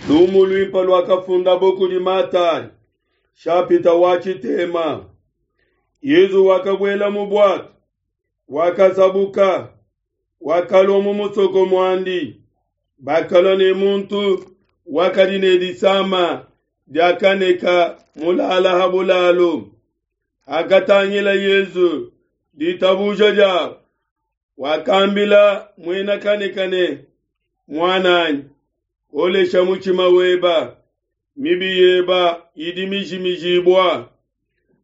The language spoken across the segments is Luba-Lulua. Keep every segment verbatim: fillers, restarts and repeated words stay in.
Lumu luimpe luakafundabo kudi Matayi, shapita wa tshitema. Yezu wakabuela mu bwato, wakasabuka, wakalua mu musoko muandi. Bakalua ne muntu wakadi ne disama diakaneka mulala ha bulalu. Hakatangila Yezu ditabuja diabo, wakambila muena kaneka ne, "Muananyi, kolesha mutshima weba, mibi yeba idi mijimijibua."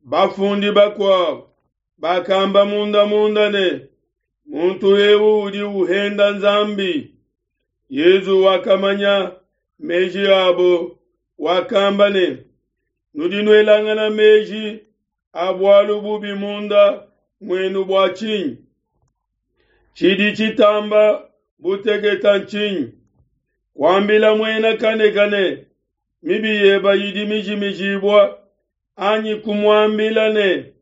Bafundi bakuabo bakamba munda munda ne, "Muntu eu udi uhenda Nzambi." Yezu wakamanya meji abo, wakamba ne, "Nudi nuelangana meji a bualu bubi munda muenu bua tshinyi? Tshidi tshitamba buteketa ntshinyi? Kuambila muena kaneka ne, mibi yeba idi mijimijibua, anyi kumuambila ne,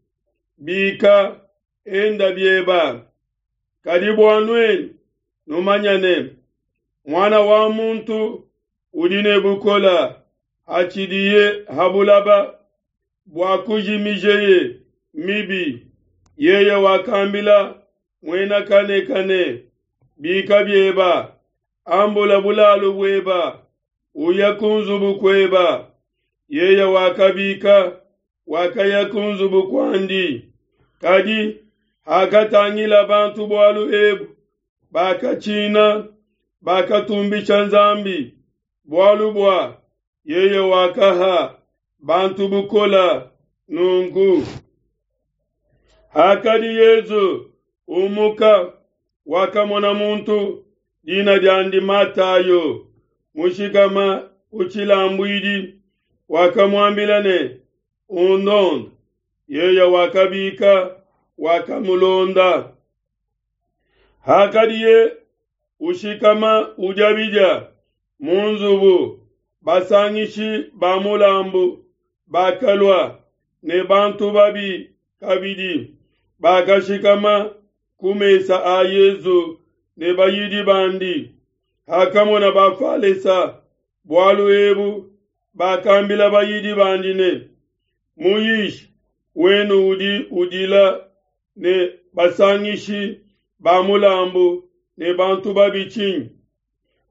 bika, enda bieba. Kadi bua nuenu numanya ne, Muana wa muntu udi ne bukola hatshidiye ha bulaba bua kujimijeye mibi." Yeye wakambila muena kaneka ne, "Bika bieba, ambula bulalu bueba, uya ku nzubu kueba." Yeye wakabika, wakaya ku nzubu kuandi. Kadi hakatangila bantu bualu ebu, bakatshina, bakatumbisha Nzambi, bualu bua yeye wakaha bantu bukola nunku. Hakadi Yezu umuka, wakamona muntu dina diandi Matayo mushikama ku tshilambuidi, wakamuambila ne, "Undonde." Yeye wakabika, wakamulonda. Hakadiye ushikama udia bidia mu nzubu, basangishi ba mulambu bakalua ne bantu babi kabidi, bakashikama ku mesa a Yezu ne bayidi bandi. Hakamona Bafalesa bualu ebu, bakambila bayidi bandi ne, "Muyishi wenu udi udila ne basangishi ba mulambu ne bantu babi tshinyi?"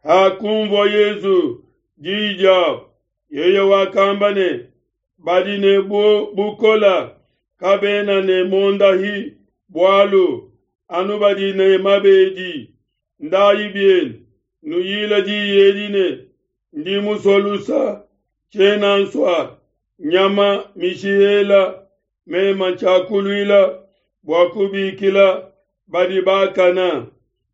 Hakumvua Yezu diyi diabo, yeye wakamba ne, "Badi ne bukola kabena ne mondahi bualu, anu badi ne mabedi. Ndayi bienu, nuyila diyi edi ne, ndi musue lusa, tshiena nsua nyama mishihela. Mema tshiakuluila bua kubikila badi bakana,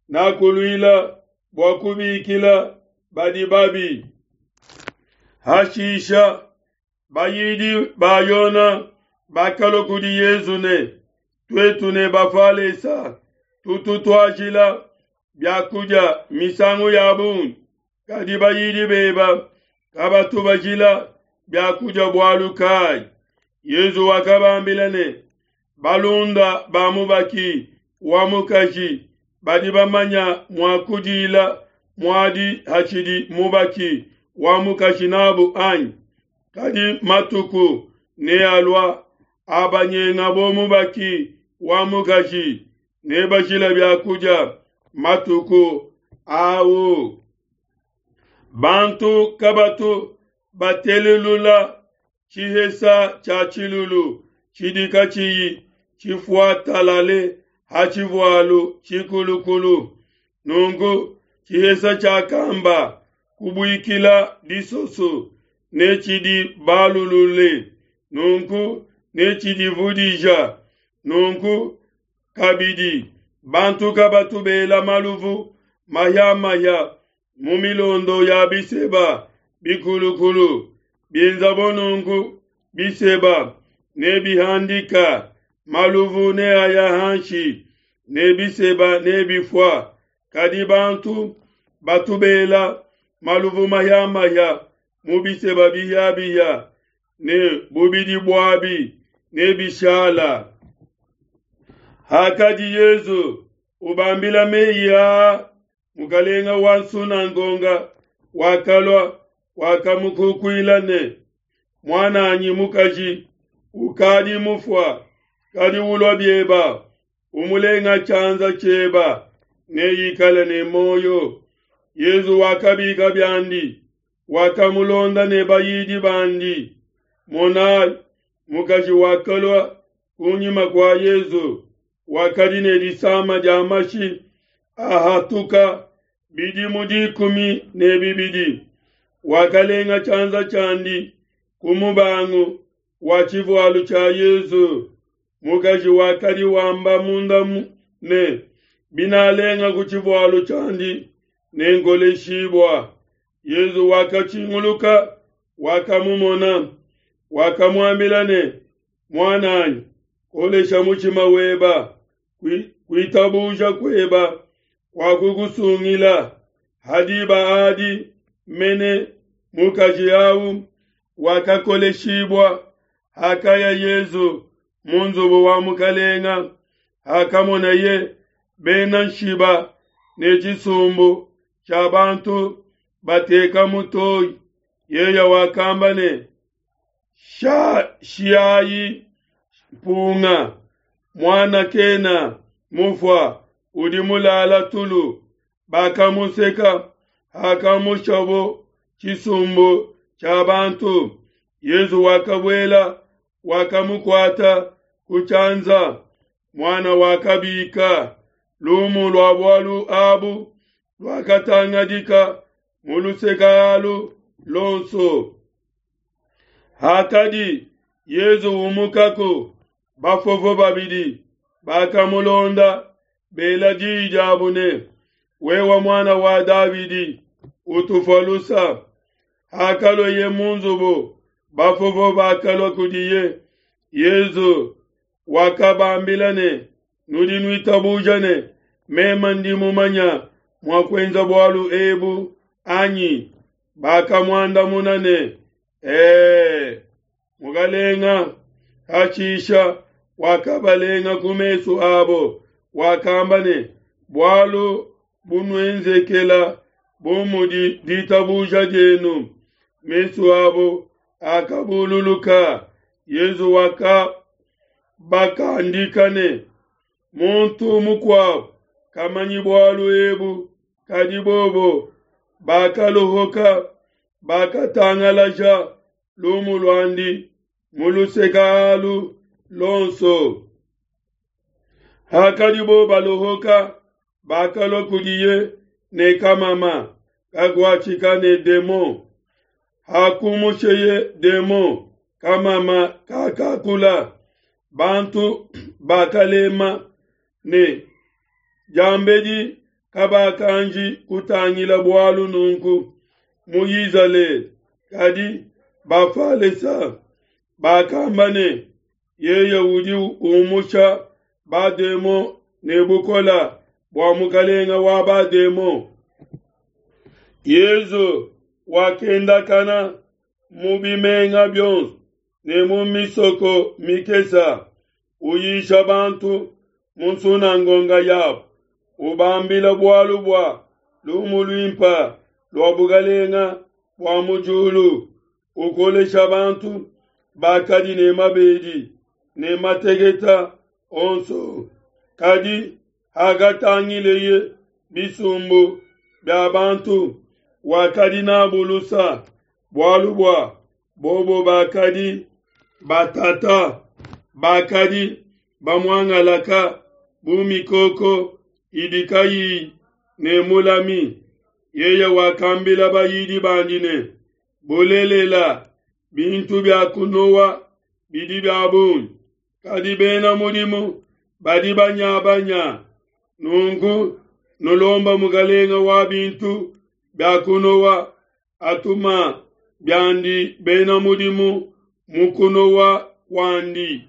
nakuluila bua kubikila badi babi." Hashisha bayidi ba Yona bakalua kudi Yezu ne, "Tuetu ne Bafalesa tutu tuajila biakudia misangu ya bungi, kadi bayidi beba kabatu bajila biakudia bualu kayi?" Yezu wakabambila ne, "Balunda ba mubaki wa mukaji badi bamanya mua kudila muadi hatshidi mubaki wa mukaji nabo anyi? Kadi matuku nealua abanyengabo mubaki wa mukaji, nebajila biakudia matuku au. Bantu kabatu batelelula tshihesa tshia tshilulu tshidi katshiyi tshifuatalale ha tshivualu tshikulukulu. Nunku tshihesa tshiakamba kubuikila disoso ne tshidi balulule, nunku ne tshidivudija. Nunku kabidi bantu kabatu bela maluvu mahia-mahia mu milondo ya biseba bikulukulu. Bienzabo nunku biseba nebihandika, maluvu neaya hanshi, ne biseba nebifua. Kadi bantu batu bela maluvu mahia-mahia mu biseba bihia-bihia, ne bubidi buabi nebishala." Hakadi Yezu ubambila meyi aa, mukalenga wa nsunangonga wakalua, wakamukukuila ne, Muananyi mukaji ukadi mufua, kadi ulua bieba umulenga tshianza tshieba neikale ne moyo. Yezu wakabika biandi, wakamulonda ne bayidi bandi. Monayi, mukaji wakalua kunyima kua Yezu, wakadi ne disama dia mashi ahatuka bidimu dikumi ne bibidi. Wakalenga tshianza tshiandi ku mubangu wa tshivualu tshia Yezu. Mukaji wakadi wamba munda ne, binalenga ku tshivualu tshiandi nenkoleshibua. Yezu wakatshinguluka, wakamumona, wakamuambila ne, Muananyi, kolesha mutshima weba, kuitabuja kueba kwakukusungila. Hadiba adi mene mukaji awu wakakoleshibua. Hakaya Yezu mu nzubu wa mukalenga, hakamonaye bena nshiba ne tshisumbu tshia bantu bateka mutoyi, yeye wakamba ne, Shiayi mpunga, muana kena mufua, udi mulala tulu. Bakamuseka. Hakamushabo tshisumbu tshia bantu, Yezu wakabuela, wakamukuata ku tshianza, muana wakabika. Lumu lua bualu abu luakatangadika mu luseka alu lonso. Hakadi Yezu umukako, bafofo babidi bakamulonda bela diyi diabu ne, Wewe muana wa Davidi, utufua lusa. Hakalua mu nzubu, bafofo bakalua kudiye. Yezu wakabambila ne, Nudi nuitabuja ne, meme ndi mumanya mua kuenza bualu ebu anyi? Bakamuandamuna ne, Ee. Mukalenga hashisha wakabalenga ku mesu abo, wakamba ne, Bualu bunuenzekela bu mudi ditabuja dienu. Mesu abo akabululuka. Yezu wakabakandika ne, muntu mukuabo kamanyi bualu ebu. Kadi bobo bakalohoka, bakatangalaja lumu luandi mu luseka alu lonso. Hakadibo balohoka, bakalua kudiye ne kamama kakuatshika ne demon. Hakumusheye demon, kamama kakakula. Bantu bakalema ne diambedi kabakanji kutangila bualu nunku mu Izalele. Kadi Bafalesa bakamba ne, yeye udi umusha bademon ne bukola bua mukalenga wa bademon. Yezu wakendakana mu bimenga bionso ne mu misoko mikesa, uyisha bantu mu nsunangonga yabo, ubambila bualu bua lumu luimpa lua bukalenga bua mu diulu, ukolesha bantu bakadi ne mabedi ne mateketa onso. Kadi hakatangileye bisumbu bia bantu, wakadi nabu lusa, bualu bua bobo bakadi batata, bakadi bamuangalaka bu mikoko idi kayiyi ne mulami. Yeye wakambila bayidi bandi ne, Bulelela, bintu bia kunowa bidi bia bungi, kadi bena mudimu badi banyabanya. Nunku nulomba mukalenga wa bintu bia kunowa atuma biandi bena mudimu mu kunowa kuandi.